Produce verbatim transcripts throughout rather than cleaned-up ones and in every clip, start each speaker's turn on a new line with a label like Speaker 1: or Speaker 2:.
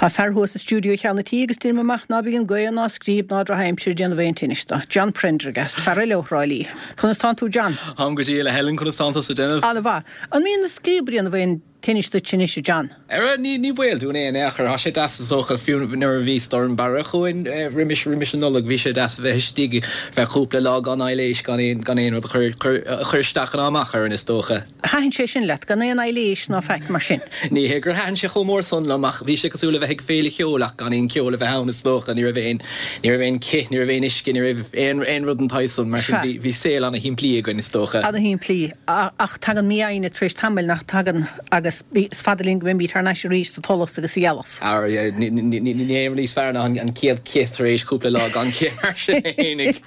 Speaker 1: Tá fear thuas i stiúideo Cheann an Tí agus deirim amach ná bíonn gaoth ná scríob ná drochaimsir ag déanamh aon tinnis dó. John Prendergast, fear eile ó Thrá Lí. Conas tánn tú John?
Speaker 2: Táim go diail a Helen conas tánn tusa ag déanamh?
Speaker 1: An-mhaith. An mbíonn na scríob ag déanamh aon tinnis duit anois a John?
Speaker 2: Ara ní ní baol dúinn é in aon chor. Tá sé deas is dócha fiú nuair a bhí Storm Barra chugainn roimis roimis an Nollaig bhí sé deas a bheith istigh feadh cúpla lá gan aibhléis gan aon gan aon rud a chur chur a chur isteach ná amach orainn is dócha.
Speaker 1: Thaitin sé sin leat, gan aon aibhléis ná faic mar sin?
Speaker 2: Ní hé gur thaitin sé chomh mór san liom ach bhí sé cosúil le bheith ag féile cheoil ach gan aon cheol a bheith ann is dócha. Ní raibh aon ní raibh aon cith, ní raibh aon uisce, ní raibh aon aon rud den tsaghas san mar sin bhí bhí saol ana-shimplí againn is dócha.
Speaker 1: Ana-shimplí ach tagann mífhoighne tar éis tamaill nach dtagann agus is fada linn go mbeimid thar n-ais arís sa tsolas agus sa ghealas.
Speaker 2: Ara níl aon rud níos fearr ná an chéad chith tar éis cúpla lá gan chith mar sin fhéinig.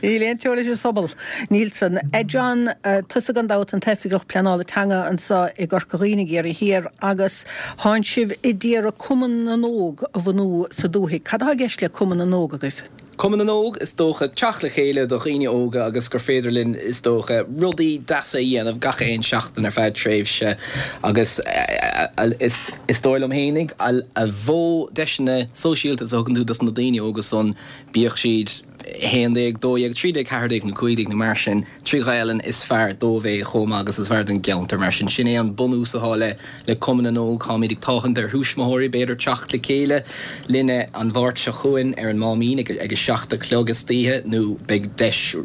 Speaker 1: Níl aon cheo leis an sobal. Níl san. A John, tusa gan dabht an t-oifigeach pleanála teanga anseo i gCorca Dhuibhne i gCiarraí Thiar agus tánn sibh ag iarraidh Cumann na nÓg a bhunú sa dúthaigh. Cad atá i gceist le Cumann na nÓg agaibh?
Speaker 2: Cumann na nÓg, is dócha, teacht le chéile do dhaoine óga agus gur féidir linn, is dócha, rudaí deasa a dhéanamh gach aon seachtain ar feadh tréimhse agus is dóigh liom fhéinig, a mhó deiseanna sóisialta is a thugann tú dos na daoine óga san, bíodh siad a haon déag, dó dhéag, trí déag, ceathair déag nó cúig déag nó mar sin, trí Ghaelainn, is fearr dóibh é chomh maith agus is fearr don gceantar. Mar sin, sin é an bunús atá le le Cumann na nÓg. Táimid ag tathant ar thuismitheoirí, b'fhéidir, teacht le chéile linne an Mháirt seo chugainn ar an Máimín ag ag a seacht a chlog istoíche nó beidh deis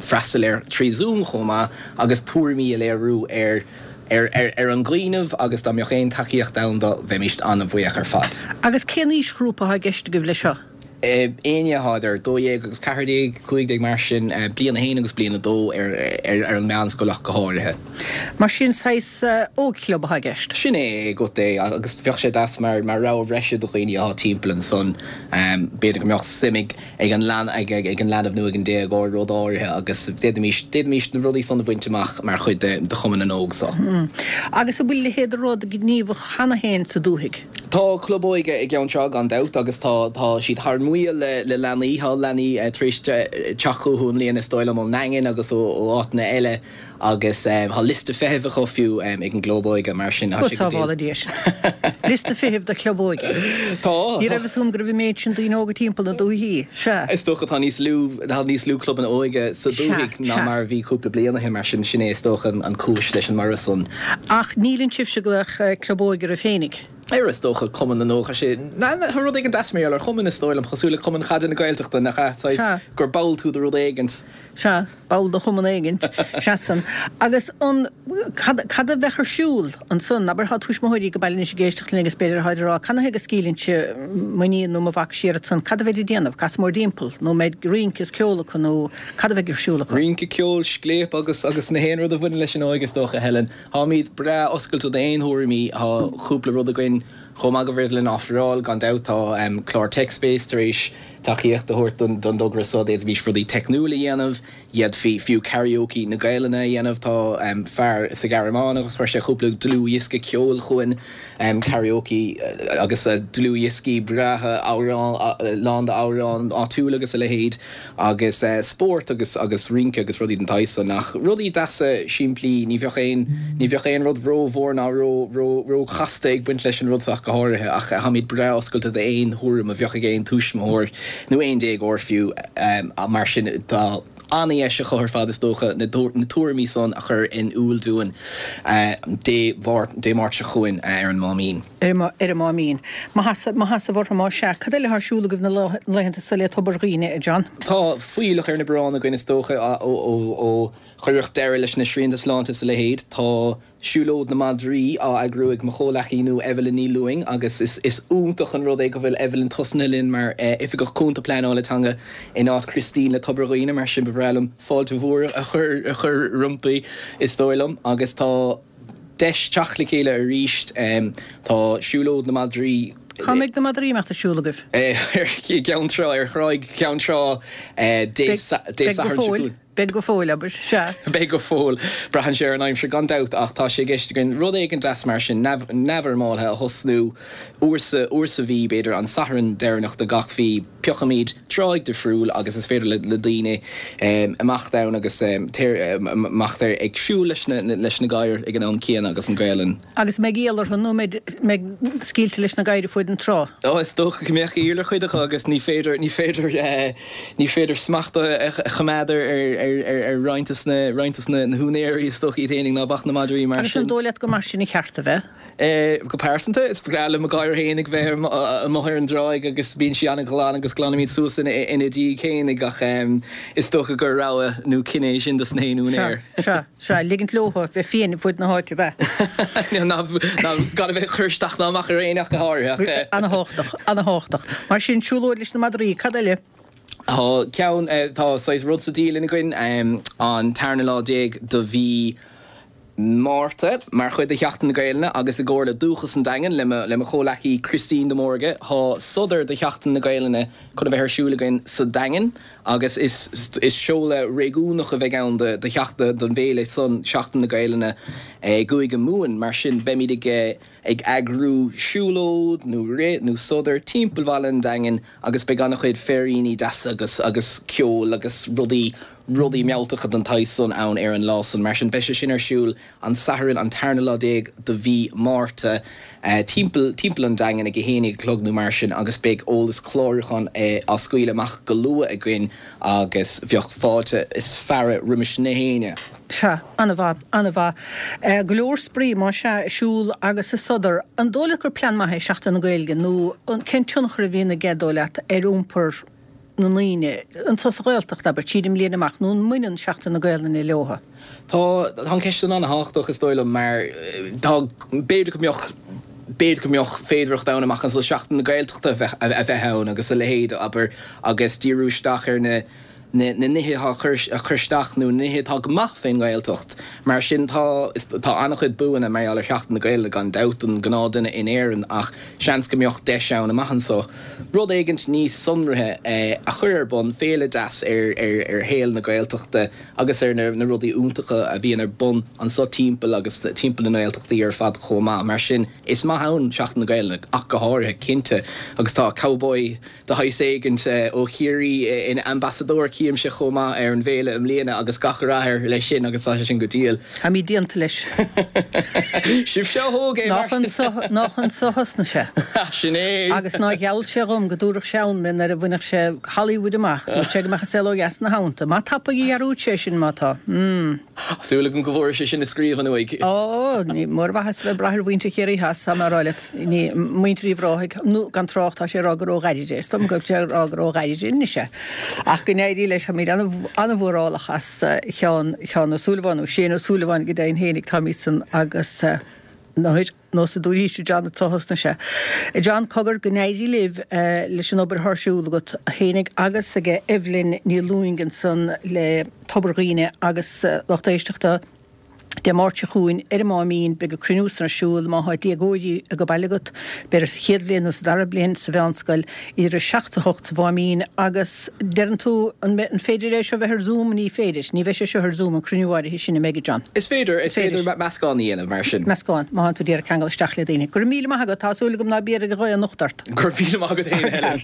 Speaker 2: freastal air trí Zoom chomh maith agus tuairimí a léiriú ar ar ar an gcuimhneamh agus dá mbeadh aon tacaíocht ann do bheimíst an-bhuíoch ar fad.
Speaker 1: Agus cén aoisghrúpa atá i gceist agaibh leis seo?
Speaker 2: Éinne atá idir dó dhéag agus ceathair déag, cúig déag mar sin, bliain a haon agus bliain a dó ar ar an meánscoil ach go háirithe.
Speaker 1: Mar sin, saghas ógchlub atá i gceist?
Speaker 2: Sin é agat é agus bheadh sé deas mar mar rogha bhreise do dhaoine atá timpeall ansan. B'fhéidir go mbeadh suim ag ag an ag ag an leanbh nó ag an déagóir rud áirithe agus d'fhéadfaimis d'fhéadfaimis na rudaí san a bhaint amach mar chuid de de Chumann na nÓg so.
Speaker 1: Agus an bhfuil a leithéid de rud gníomhach cheana féin sa dúthaigh?
Speaker 2: Tá club óige i gCeann Trá gan dabht agus tá tá siad thar maoil le le leanaí. Tá leanaí tar éis teacht chucu i mbliana is dóigh liom ón nDaingean agus ó ó áiteanna eile agus tá liosta feithimh acu fiú ag an gclub óige mar sin tá
Speaker 1: Go sé go diail. sábhála Dia sinn. Liosta feithimh do chlub óige.
Speaker 2: Tá.
Speaker 1: Ní raibh fhios agam go raibh an méid sin daoine óga timpeall na dúichí. Sea.
Speaker 2: Is dócha tá níos lú tá níos lú clubanna óige sa
Speaker 1: Sea,
Speaker 2: dúthaigh ná
Speaker 1: sea.
Speaker 2: mar a bhí cúpla bliain ó shin mar sin sin é is dócha an an cúis leis an mborradh san.
Speaker 1: Ach níleann sibhse ag glaoch club óige oraibh féinig.
Speaker 2: Ar is dócha Cumann na nÓg, tá sé, ná, tá rud éigin deas mar gheall ar chumann is dóigh liom, cosúil le Cumann Caide na Gaeltachta, nach ea? Saghas
Speaker 1: Sea.
Speaker 2: gur ball tú de rud éigint.
Speaker 1: Sea, ball de chumann éigint, sea san. Agus an, cad, cad a bheadh ar siúl ansan? Abair, tá tuismitheoirí ag baile anois ag éisteacht linn agus b'fhéidir táid ag rá, canathaobh go scaoilfinnse m'iníon nó mo mhac siar ansan, cad a bheid ag déanamh? Casadh mórdtimpeall? Nó mbeidh rince is ceol acu nó cad a bheidh ar siúl acu?
Speaker 2: Rince, ceol, scléip agus, agus na haon rud a bhaineann leis an óige is dócha, Helen. Táimid breá oscailte d'aon thuairimí. Tá cúpla rud againn chomh maith go bhféidir linn ofráil. Gan dabht tá clár TechSpace tar éis tacaíocht a thabhairt don dtogra seo. D'fhéadfaimis rudaí teicniúil a dhéanamh. D'fhéadfaí fiú karaoke na Gaelainne a dhéanamh. Tá fear sa Ghearmáin agus chuir sé cúpla dlúthdhiosca ceoil chugainn, karaoke agus dlúthdhioscaí breátha amhrán, lán d'amhráin áitiúla agus a leithéid. Agus spórt agus agus rince agus rudaí den tsaghas san. Ach rudaí deasa simplí, ní bheadh aon, ní bheadh aon rud ró-mhór ná ró, ró, ró-chasta ag baint leis an rud so ach go háirithe. Ach táimid breá oscailte d'aon thuairim a bheadh ag aon tuismitheoir nó aon déagóir fiú. Mar sin tá an-dheis acu ar fad is dócha na na tuairimí san a chur in iúl dúinn Dé Mháirt, Dé Máirt seo chugainn ar an Máimín.
Speaker 1: Ar an Máimín. Maitheas orthu más ea. Cad eile atá ar siúl agaibh na laethanta seo le Tobar Dhuibhne, a John?
Speaker 2: Tá fuílleach ar na bioráin againn is dócha ó cuireadh deireadh leis na srianta sláinte is a leithéid. Tá Siúlóid na Madraí á eagrú ag mo chomhleacaí nua Evelyn Ní Lúing agus is iontach an rud é go bhfuil Evelyn tosnaithe linn mar Oifigeach Cúnta Pleanála Teanga in áit Christine le Tobar Dhuibhne mar sin ba bhreá liom fáilte mhór a chur roimpi is dóigh liom agus tá deis teacht le chéile arís. Tá Siúlóid na Madraí.
Speaker 1: Cá mbeidh na madraí ag imeacht ag siúl agaibh?
Speaker 2: I gCeann Trá, ar Thráigh Cheann Trá Dé Sathairn seo chugainn.
Speaker 1: Beidh go fóill, abair. Sea.
Speaker 2: Beidh go fóill. Braitheann sé ar an aimsir gan dabht ach tá sé i gceist againn rud éigin deas mar sin, neamhfhoirmeáltha a thosnú uair sa, uair sa mhí, b'fhéidir an Satharn deireanach de gach mhí. Piocfaimid tráigh difriúil agus is féidir le, le daoine imeacht ann agus imeacht ar ag siúl leis na, leis na gadhair ag an am céanna agus an Ghaelainn.
Speaker 1: Agus an mbeidh iall orthu nó an mbeidh, mbeidh scaoilte leis na gadhair fuaid an trá?
Speaker 2: Ó, is dócha go mbeadh iall ar chuid acu agus ní féidir, ní féidir, ní féidir smacht a choimeád ar roinnt de na, roinnt de na húinéirí is dócha iad fhéinig ná bac na madraí mar
Speaker 1: sin. Agus an dóigh leat gur mar sin a cheart a bheith?
Speaker 2: Go pearsanta, is breá le mo ghadhar fhéinig bheith amuigh ar an dtráigh agus bíonn sí an-ghlan agus glanaimid suas ina diaidh fhéinig ach is dócha gur rogha nó cinneadh é sin dos na haon úinéir.
Speaker 1: Sea, sea, sea, ligint leo bheith fiáin fuaid na háite, ab
Speaker 2: ea? Ná, ná, gan a bheith ag cur isteach ná amach ar éinne ach go háirithe ach.
Speaker 1: Ana-thábhachtach, ana-thábhachtach. Mar sin, siúlóid leis na madraí, cad eile?
Speaker 2: Tá ceann, tá saghas rud sa dialann againn, an tarna lá déag de mhí Márta, mar chuid de Sheachtain na Gaelainne agus i gcomhar le Dúchas an Daingin, le mo le mo chomhleacaí Christine de Mórdha, tá sodar do Sheachtain na Gaelainne chun a bheith ar siúl againn sa Daingean agus is is seoladh réigiúnach a bheidh ann do do sheachtain don bhféile san, Seachtain na Gaelainne i gCúige Mumhan. Mar sin beimid ag ag eagrú siúlóid nó rith nó sodar timpeall bhaile an Daingin agus beidh an-chuid féiríní deasa agus agus ceol agus rudaí rudaí mealltacha den tsaghas san ann ar an lá san. Mar sin beidh sé sin ar siúl an Satharn an tarna lá déag de mhí Márta timpeall timpeall an Daingin ag a haon déag a chlog nó mar sin agus beidh eolas clárúcháin á scaoileadh amach go luath againn agus bheadh fáilte is fearadh roimis na héinne.
Speaker 1: Sea, an-mhaith, an-mhaith. Go leor spraoi, más ea, ag siúl agus ag sodar. An dóigh leat gur plean maith é Seachtain na Gaeilge nó cén tionchar a bhíonn aige, dóigh leat, ar iompar na ndaoine, anseo sa Ghaeltacht, abair, tríd an mbliain amach, nó an mbaineann Seachtain na Gaelainne leothu?
Speaker 2: Tá, tá an cheist san an-thábhachtach, is dóigh liom, mar tá, b'fhéidir go mbeadh, b'fhéidir go mbeadh féidearthacht ann amach anseo Seachtain na Gaeltachta a bheith, a bheith ann agus a leithéid, abair, agus díriú isteach ar na, na nithe atá a chur isteach nó na nithe atá go maith fén nGaeltacht. Mar sin tá, tá an-chuid buanna mar gheall ar Sheachtain na Gaeilge gan dabht don ghnáthduine in Éirinn ach seans go mbeadh deis ann amach anso rud éigint níos sonraithe a chur ar bun, féile deas ar ar shaol na Gaeltachta agus ar na na rudaí iontacha a bhíonn ar bun anso timpeall agus timpeall na nGaeltachtaí ar fad chomh maith. Mar sin is maith ann Seachtain na Gaeilge ach go háirithe, cinnte. Agus tá cowboy de shaghas éigint ó Chiarraí ina ambasadóir, chímse, chomh maith ar an bhféile i mbliana agus gach rath air leis sin agus tá sé sin go diail.
Speaker 1: Táimid déanta leis.
Speaker 2: Sibhse a thóg é mar.
Speaker 1: Nach anso, nach anso a thosnaigh sé.
Speaker 2: Sin é.
Speaker 1: Agus nár gheall sé dhom go dtabharfadh sé ann mé nuair a bhainfeadh sé Hollywood amach. Dúirt sé go mbeadh an saol ó dheas ina theannta. Maith tapaidh a dhearúd sé sin má tá. Mm.
Speaker 2: Súil agam go bhfuair sé sin i scríbhinn uaidh.
Speaker 1: Ó, ní mór mhaitheas a bheith ag brath ar mhuintir Chiarraí Theas, tá mé a rá leat. Ní, muintir Uíbh Ráthaigh, nó gan trácht, tá sé ag rá gur ó Ghairide é. Is dóigh liom go bhfuil sé ag rá gur ó Ghairide anois é. Ach go n-éirí leis, táimid an-mhórálach as Sheán, Sheán Ó Súilleabháin, nó Shane Ó Súilleabháin go deimhin fhéinig, táimid san agus nuair, nós a dúirt John anso thosnaigh sé. John, cogar, go n-éirí libh leis an obair atá ar siúl agat fhéinig agus ag Evelyn Ní Lúing ansan le Tobar Dhuibhne agus lucht éisteachta Dé Máirt seo chugainn ar an Máimín beidh an cruinniú san ar siúl má thá déagóirí ag baile agat, b'fhéidir sa chéad bhliain nó sa dara bliain sa mheánscoil, idir a seacht 's a hocht sa Mháimín agus deireann tú an an féidir é seo bheith ar Zoom? Ní féidir, ní bheidh sé seo ar Zoom, an cruinniú áirithe sin an mbeidh, a John?
Speaker 2: Is féidir, is féidir meascán a dhéanamh mar sin.
Speaker 1: Meascán, má thánn tú ag iarraidh ceangal isteach le daoine. Go raibh míle maith agat, tá súil agam ná b'iarraidh a ghaoth anocht ort.
Speaker 2: Go raibh míle maith agat féin, Helen.